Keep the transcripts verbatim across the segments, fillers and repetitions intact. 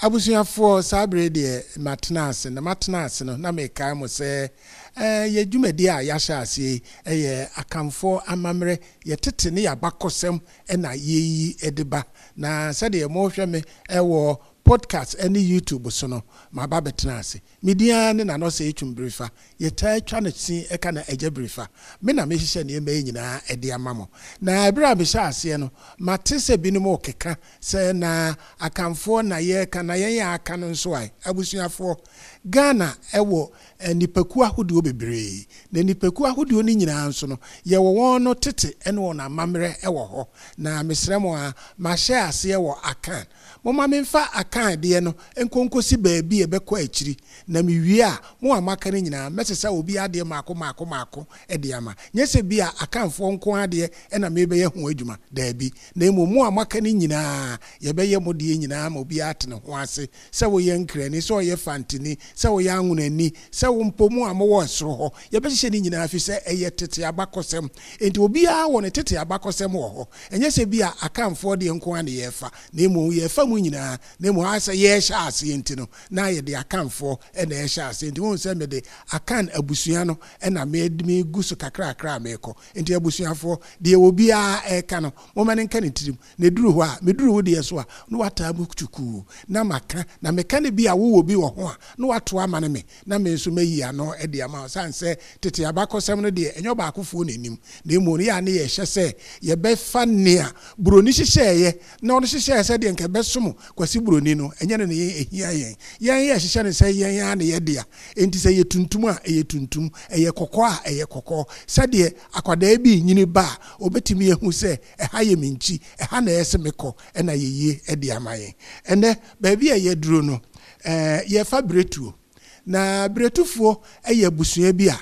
Abusuafoɔ, saa bere deɛ matena ase, na matena ase no na mekae mo sɛ eh, yɛ dwumadi a yɛahyɛ aseɛ yi ɛyɛ Akamfoɔ amammerɛ, yɛtete ne yɛabakɔsɛm ɛna yɛyi de ba. Na sɛdeɛ mohwɛ me ɛwɔ podcast ne YouTube so no, maba bɛtena ase. Me din ara ne Nana Osei Twum Birifa. Yɛtaa twa no sin ɛka no Agya Birifa. Me na mehyehyɛ nneɛma yi nyinaa ɛde ama mo. Na ɛberɛ a mehyɛ aseɛ no, mate sɛ binom rekeka sɛ na Akamfoɔ na yɛreka na yɛn a aka no nso ae. Abusuafoɔ, Ghana ɛwɔ nnipakuo ahodoɔ bebree. Na nnipakuo ahodoɔ no nyinaa nso no, yɛwɔ wɔn no tete ne wɔn amammerɛ wɔ hɔ. Na mesrɛ mo a, mahyɛ aseɛ wɔ Akan. Momma memfa Akan deɛ no nkonkosi baabi a ɛbɛkɔ akyiri. Na mewie a, mo a moaka no nyinaa, mɛsesa obi adeɛ maako maako maako de ama. Nyɛ sɛ bi a Akanfoɔ nko adeɛ ɛna mebɛyɛ ho adwuma. Daabi. Na mmom mo a moaka no nyinaa, yɛbɛyɛ mo deɛ nyinaa ma obiara ate ne ho ase. Sɛ woyɛ Nkrani, sɛ ɔyɛ Fantini, sɛ woyɛ Anwonani, sɛ wo mpo mo a mowɔ soro hɔ, yɛbɛhyehyɛ ne nyinaa fi sɛ ɛyɛ tete abakɔsɛm. Enti obiara wɔ ne tete abakɔsɛm wɔ hɔ. Ɛnyɛ sɛ bi a Akanfoɔ deɛ nko ara na yɛrefa, na mmom yɛrefa mu nyinaa. Na mmom ayɛ sɛ yɛrehyɛ aseɛ nti no, na yɛde Akanfoɔ ɛna ɛhyɛ aseɛ. Nti wohu sɛ mede Akan abusua no ɛna megu so kakrakra a merekɔ. Nti abusuafoɔ, deɛ obiara ɛreka no, momma ne nka ne tirim. Na ɛduru hɔ a, meduru wo deɛ so a, na wataa mu tukuu na maka. Na meka no bi a wowɔ bi wɔ ho a, na wato ama no me, na me nso mayi ano de ama wo. Sane sɛ tete abakɔsɛm no deɛ, ɛnyɛ ɔbaakofoɔ n'anim. Na mmom no, yɛ a ne yɛhyɛ sɛ yɛbɛfa nea buroni hyehyɛeɛ na ɔno hyehyɛɛ sɛ deɛ nka ɛbɛsom Kwasi Buroni no, ɛnyɛ no ne yɛn ɛhia yɛn. Yɛn yɛ hyehyɛ no sɛ yɛn ara ne yɛ dea. Enti sɛ ɛyɛ tuntum a, ɛyɛ tuntum. Ɛyɛ kɔkɔɔ a, ɛyɛ kɔkɔɔ. Sɛdeɛ akwadaa bi nyini ba a, obɛtumi ahu sɛ ɛha yɛ me nkyi, ɛha na ɛyɛ sɛ mekɔ, ɛna yɛyie de ama yɛn. Ɛnɛ, baabi a yɛduro no, ɛɛ yɛfa Biretuo. Na Biretufoɔ yɛ abusua bi a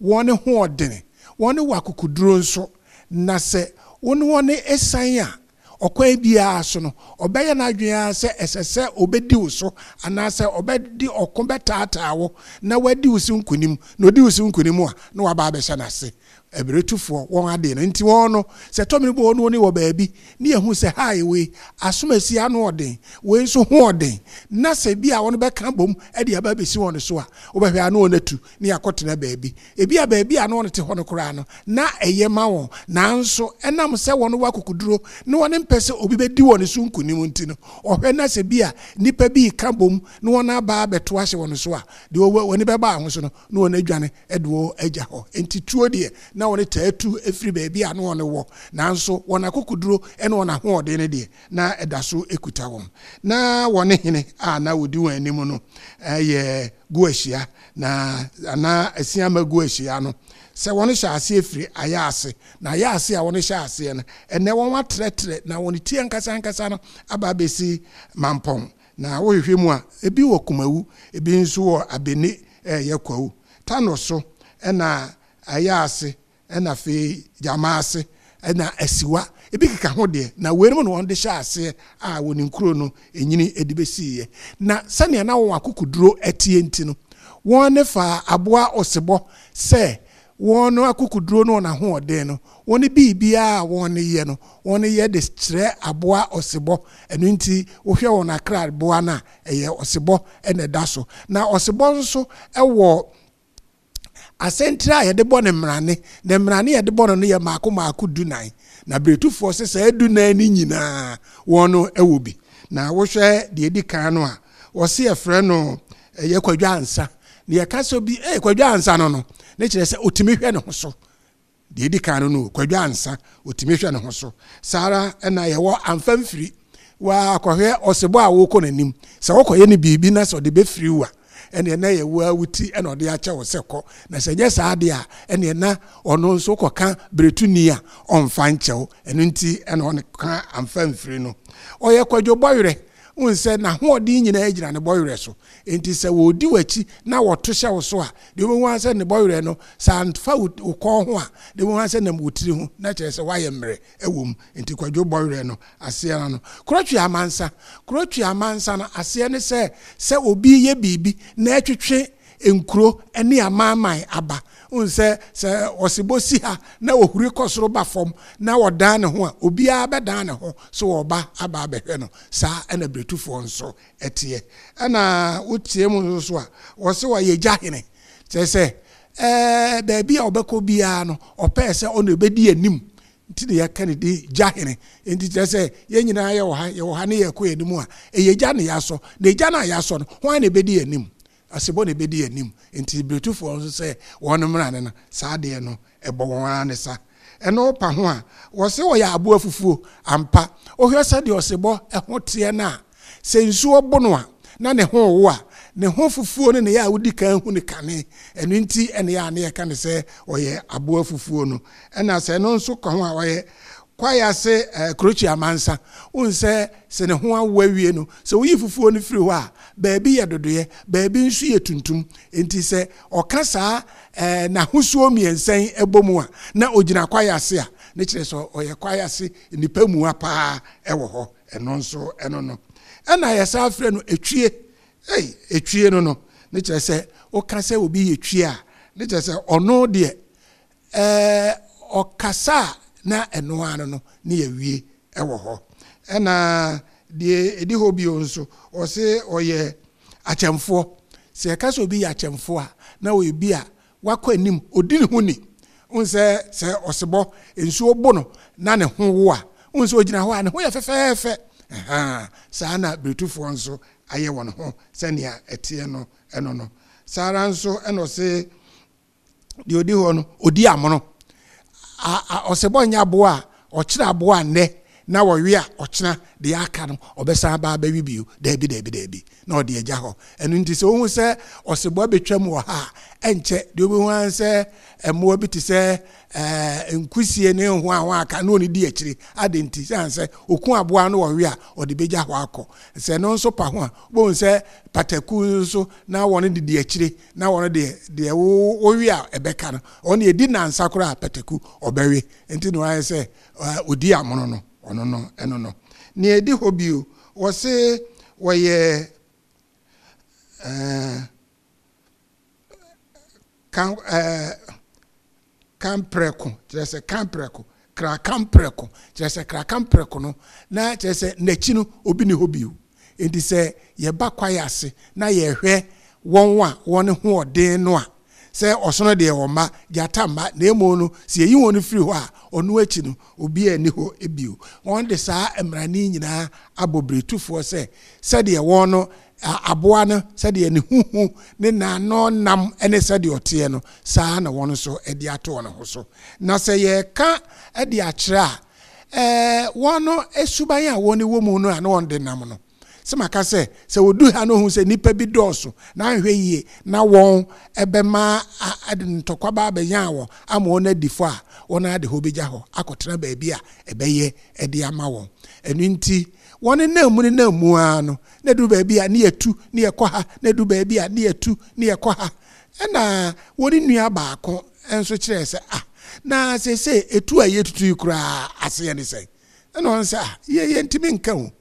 wɔn ho ɔdene, wɔn wɔ akokoduro nso. Na sɛ wɔn wɔn esan a, ɔkwan biara so no, ɔbɛyɛ n'adwene ara sɛ ɛsɛ sɛ ɔbɛdi wo so anaasɛ ɔbɛdi ɔko bɛtaataa wo na wadi wo so nkonim. Na ɔdi wo so nkonim a, na waba abɛhyɛ n'ase. Abiretufoɔ wɔn adeɛ no nti wɔn no sɛ tɔmini bɔ wɔn wɔ baabi ne yɛhu sɛ ha wei asomasi ano ɔden, wei nso ho ɔden, na sɛ bi a wɔn bɛka bom de aba abɛsi wɔn so a, wobɛhwɛ ano wɔn atu ne yɛakɔtena baabi. Ebi a baabi a wɔn te hɔ no koraa no na ɛyɛ ma wɔn, nanso ɛnam sɛ wɔn wɔ akokoduro na wɔn mpɛ sɛ obi bɛdi wɔn so nkonim nti no, ɔhwɛ na sɛ bi a nipa bi ka bom na wɔn aba abɛto ahyɛ wɔn so a, deɛ wɔn bɛba aho so no na wɔn adwane de wɔn agya hɔ. Nti tuo deɛ na wɔn taa tu efiri baabi a na wɔn wɔ, nanso wɔn akokoduro ne wɔn ahoɔden no deɛ na ɛda so ekuta wɔn. Na wɔn hene a na wɔdi wɔn anim no ɛyɛ Guahyia, na anaa Asiama Guahyia no, sɛ wɔn hyɛ aseɛ firi ayɛ ase. Na ayɛ ase a wɔn hyɛ aseɛ no, ɛnɛ wɔn atrɛtrɛ na wɔn ti ankasa ankasa no aba abɛsi Mampɔn. Na wɔhwehwɛ mu a, ebi wɔ Kumawu, ebi nso wɔ Abene ɛyɛ Kwawu Tano so, ɛna ayɛ ase, ɛna afei Gyama ase, ɛna Asiwa, ebi keka ho deɛ. Na weinom na wɔn de hyɛ aseɛ a wɔn nkuro no enyini de bɛsiiɛ. Na sɛnea na wɔn akokoduro ɛteɛ nti no, wɔn ne fa aboa ɔsebɔ sɛ wɔn akokoduro no wɔn ahoɔden no, wɔn biribiara a wɔn yɛ no, wɔn yɛ de kyerɛ aboa ɔsebɔ. Ɛno nti wohwɛ wɔn akraboa no a, ɛyɛ ɔsebɔ ɛna ɛda so. Na ɔsebɔ nso ɛwɔ asɛntire a yɛde bɔ ne mmarane, na mmarane yɛde bɔ no no yɛ maako maako dunan. Na Biretufoɔ sɛ saa dunan no nyinaa wɔn no ɛwɔ bi. Na wohwɛ deɛ edi kan no a, wɔsi yɛfrɛ no ɛyɛ Kwadwo Ansa. Na yɛka sɛ bi ɛyɛ Kwadwo Ansa no no, ne kyerɛ sɛ otumi hwɛ ne ho so. Deɛ edi kan no no, Kwadwo Ansa, otumi hwɛ ne ho so. Saa ara ɛna yɛwɔ Amfa Mfiri. Wakɔhwɛ ɔsebɔ a wɔkɔ n'anim sɛ wɔkɔyɛ no biribi na sɛ ɔde bɛfiri wo a, ɛneɛ na yɛ wo a wo ti ɛna ɔde akyɛ wo sɛ kɔ. Na sɛ nyɛ saa deɛ a, ɛneɛ na ɔno nso kɔka beretuni a ɔmfa nkyɛw. Ɛno nti ɛna ɔne ka Amfa Mfiri no. Ɔyɛ Kwadwo Bɔwerɛ. Wohu sɛ n'ahoɔden nyinaa gyina ne bɔwerɛ so. Enti sɛ wɔdi w'akyi na wɔto hyɛ wo so a, deɛ wobɛhu ara sɛ ne bɔwerɛ no, sɛ amfa wo kɔn ho a, deɛ wobɛhu ara sɛ nam wo tiri ho, na kyerɛ sɛ woayɛ mmerɛ ɛwɔ mu. Enti Kwadwo Bɔwerɛ no aseɛ no no. Kurotwi Amansa. Kurotwi Amansa no aseɛ ne sɛ sɛ obi yɛ biribi na ɛtwetwe nkuro ne amanaman aba. Wohu sɛ, sɛ ɔsebɔ si ha na ɔhuri kɔ soro ba fam na ɔdan ne ho a, obiara bɛdan ne ho so ɔreba aba abɛhwɛ no. Saa na Biretufoɔ nso teɛ. Ɛna wotie mu nso so a, wɔse ɔyɛ gya hene. Kyerɛ sɛ, ɛɛ, baabi a ɔbɛkɔ biara no, ɔpɛɛ sɛ ɔna ɔbɛdi anim. Nti na yɛka ne din gya hene. Nti kyerɛ sɛ, yɛn nyinaa yɛwɔ ha, yɛwɔ ha ne yɛrekɔ yɛn anim a, ɛyɛ gya na yɛasɔ. Na gya no a yɛasɔ no, hwan na ɛbɛdi yɛn anim? Asebɔ na ɛbɛdi yɛn anim. Nti Biretufoɔ nso sɛ wɔn mmara no no, saa adeɛ no, ɛbɔ wɔn ara ne sa. Ɛno pa ho a, wɔse wɔyɛ aboa fufuo. Ampa, wohwɛ sɛdeɛ ɔsebɔ ho teɛ no a, sɛ nsuo bo no a, na ne ho rewo a, ne ho fufuo no na ɛyɛ a wodi kan hu no kane. Ɛno nti na ɛyɛ a na yɛka no sɛ ɔyɛ aboa fufuo no. Ɛna sɛ ɛno nso ka ho a, ɔyɛ kwaeɛ ase kurokyi amansa. Wohu sɛ, sɛ ne ho awo awie no, sɛ woyi fufuo no firi hɔ a, baabi yɛ dodoeɛ, baabi nso yɛ tuntum. Enti sɛ ɔka saa n'ahosuo mmiɛnsa yi bɔ mu a, na ɔgyina kwaeɛ ase a, ne kyerɛ sɛ ɔyɛ kwaeɛ ase nnipa mua paa wɔ hɔ. Ɛno nso ɛno no. Ɛna yɛsan frɛ no etwie. Ei, etwie no no, ne kyerɛ sɛ woka sɛ obi yɛ twie a, ne kyerɛ sɛ ɔno deɛ, ɛɛ, ɔkasa a na ɛno ara no ne yɛawie wɔ hɔ. Ɛna deɛ ɛdi hɔ bio nso, ɔse ɔyɛ akyɛmfoɔ. Sɛ yɛka sɛ obi yɛ akyɛmfoɔ a, na ɔyɛ bi a wakɔ anim, ɔdi ne ho ni. Wohu sɛ sɛ ɔsebɔ nsuo bo no na ne ho wo a, wohu sɛ ɔgyina hɔ a ne ho yɛ fɛfɛɛfɛ. Ɛhaa, saa na Biretufoɔ nso ayɛ wɔn ho sɛnea ɛteɛ no ɛno no. Saa ara nso ɛna ɔse deɛ ɔdi hɔ no, ɔdi amono. Ɔsebɔ nyɛ aboa a ɔkyerɛ aboa nnɛ na wɔwe a ɔkyena deɛ aka no ɔbɛsan aba abɛwe bio. Daabi, daabi, daabi, na ɔde agya hɔ. Ɛno nti sɛ wohu sɛ ɔsebɔ abɛtwam wɔ ha a, ɛnkyɛ deɛ wobɛhu ara sɛ mmoa bi te sɛ ɛɛ nkusie ne ho a wɔn aka na wɔn di akyire. Ade nti sɛ sɛ oku aboa no wɔwe a, ɔde bɛgya hɔ akɔ. Sɛ ɛno nso pa ho a, wobɛhu sɛ pataku nso na wɔn didi akyire, na wɔn deɛ deɛ wowe a ɛbɛka no, wɔn deɛ di nansa koraa pataku ɔbɛwe. Nti na wɔayɛ sɛ odi amono no, ɔno no ɛno no. Nea ɛdi hɔ bio, wɔse wɔyɛ ɛɛ kan ɛɛ kamprɛko, kyerɛ sɛ kamprɛko, kra kamprɛko, kyerɛ sɛ kra kamprɛko no, na kyerɛ sɛ n'akyi no obi ni hɔ bio. Nti sɛ yɛba kwaeɛ ase na yɛhwɛ wɔn a wɔn ho ɔden no a, sɛ ɔsono deɛ wɔn mma, gyata mma, na emu no sɛ yɛyi wɔn firi hɔ a, ɔno akyi no obi ani hɔ bio. Wɔn de saa mmarane nyinaa abɔ biretufoɔ sɛ sɛdeɛ wɔn no aboa no, sɛdeɛ ne huhu ne n'ano nam ne sɛdeɛ ɔteɛ no, saa na wɔn nso de ato wɔn ho so. Na sɛ yɛka de akyerɛ a, ɛɛ wɔn no suban a wɔn wɔ mu no a na wɔn de nam no, sɛ maka sɛ sɛ wɔdu ha no hu sɛ nnipa bi dɔɔso na anhwɛ yie na wɔn ɛbɛma ɛde ntɔkwa ba abɛnya wɔn ama wɔn adi fɔ a, wɔn ade hɔ bɛgya hɔ akɔtena baabi a ɛbɛyɛ ɛde ama wɔn. Ɛno nti wɔn nam mu ne nam mu ara no, na du baabi a ne yɛtu ne yɛkɔ ha, na du baabi a ne yɛtu ne yɛkɔ ha. Ɛna wɔn nua baako nso kyerɛ sɛ, ah, na seesei etu a yɛtutu yi koraa aseɛ ne sɛn? Ɛna wɔn sɛ, ah, yɛ yɛntumi nka o.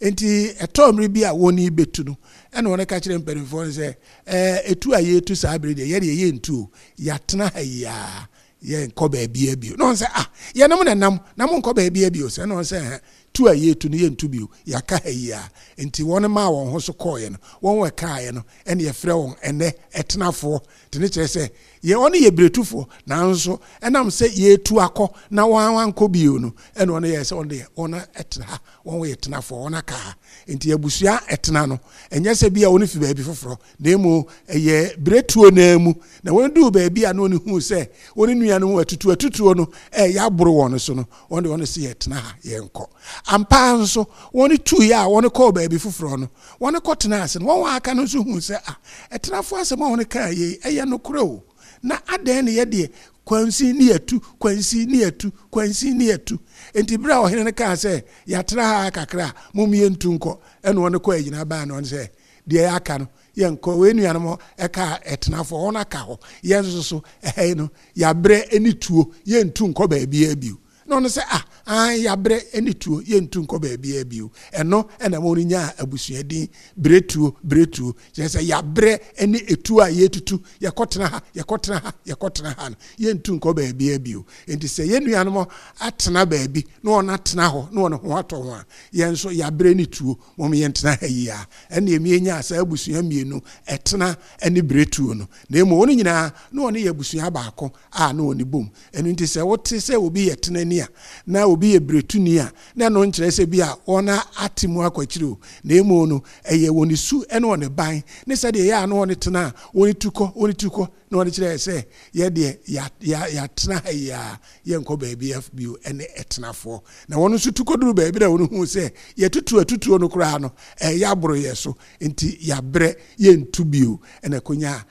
Nti ɛtɔ mmere bi a wɔn yi bɛtu no, ɛna wɔn ka kyerɛ mpanimfoɔ no sɛ, ɛɛ etu a yɛtu saa bere deɛ, yɛdeɛ yɛntu o, yɛatena ha yi a yɛnkɔ baabi bio. Na wɔn sɛ, ah, yɛnom na nam na mo nkɔ baabi bio. Sɛ ɛna wɔn sɛ, ɛhɛn, tu a yɛtu no yɛntu bio, yɛaka ha yi a. Nti wɔn maa wɔn ho so kɔɔeɛ no, wɔn wɔ kaeɛ no, ɛna yɛfrɛ wɔn ɛnɛ ɛtenafoɔ. Nti ne kyerɛ sɛ yɛ wɔn yɛ biretufoɔ, nanso ɛnam sɛ yɛtu akɔ na wɔn ankɔ bio no, ɛna wɔn yɛ sɛ wɔn deɛ wɔn ɛtena ha, wɔn yɛ tenafoɔ, wɔn aka ha. Nti abusua ɛtena no, ɛnyɛ sɛ bi a wɔn fi baabi foforɔ, na emu ɛyɛ biretuo naa mu. Na wɔn duu baabi a na wɔn hu sɛ wɔn nua no ho atutu atutuo no ɛyɛ aboro wɔn so no, wɔn de wɔn si yɛ tena ha, yɛnkɔ. Ampa nso wɔn tu yɛ a wɔn kɔɔ baabi foforɔ no, wɔn kɔ tena ase no, wɔn aka no nso hu sɛ ah, ɛtenafoɔ asɛm a wɔn kaa yɛ ɛyɛ nokorɛ o. Na adɛn ne yɛ deɛ kwansi ne yɛtu, kwansi ne yɛtu, kwansi ne yɛtu. Nti bere a ɔhene no kaa sɛ yɛatena ha kakra a, mom yɛntu nkɔ, ɛna wɔn kɔ agyina baa no sɛ deɛ yɛaka no yɛnkɔ. Wei nuanom ɛka ɛtenafoɔ wɔn aka hɔ, yɛn nso so ɛha yi no yɛabrɛ ne tuo, yɛntu nkɔ baabiara bio. Na ɔno sɛ, ah, an yɛabrɛ ne tuo, yɛntu nkɔ baabiara bio. Ɛno ɛna ma ɔno nyaa abusuadin Beretuo. Beretuo kyerɛ sɛ yɛabrɛ ne etuo a yɛtutu, yɛkɔtena ha, yɛkɔtena ha, yɛkɔtena ha no, yɛntu nkɔ baabiara bio. Nti sɛ yɛn nuanom atena baabi na wɔn atena hɔ na wɔn ho atɔ ho a, yɛn nso yɛabrɛ ne tuo, wɔn yɛntena ha yi a, ɛna emi enya saa abusua mmienu, Ɛtena ne Beretuo no. Na emu wɔn nyinaa na wɔn yɛ abusua baako a na wɔn bom. Ɛno nti sɛ wote sɛ obi yɛ tenani a na obi yɛ beretuni a, na ɛno nkyerɛ sɛ bi a wɔn ate mu akɔ akyire o. Na emu no ɛyɛ wɔn su ne wɔn ban ne sɛdeɛ ɛyɛ a na wɔn tena a wɔn tu kɔ, wɔn tu kɔ, na wɔn kyerɛ sɛ yɛ deɛ yɛatena ha yi a, yɛnkɔ baabi bio. Ɛne Ɛtenafoɔ na wɔn nso tu kɔduru baabi na wɔn hu sɛ yɛtutu atutuo no koraa no, ɛyɛ aboro yɛ so, nti yɛabrɛ, yɛntu bio. Ɛna konya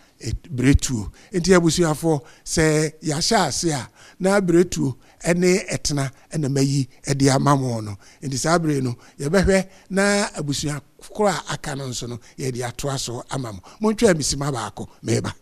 Beretuo. Nti abusuafoɔ, sɛ yɛahyɛ ase a, na Beretuo ɛne Ɛtena ɛna mayi ɛde ama mo no. Nti saa bere no yɛbɛhwɛ na abusua koro a aka no nso no, yɛde atoa so ama mo. Montwa misima baako meba.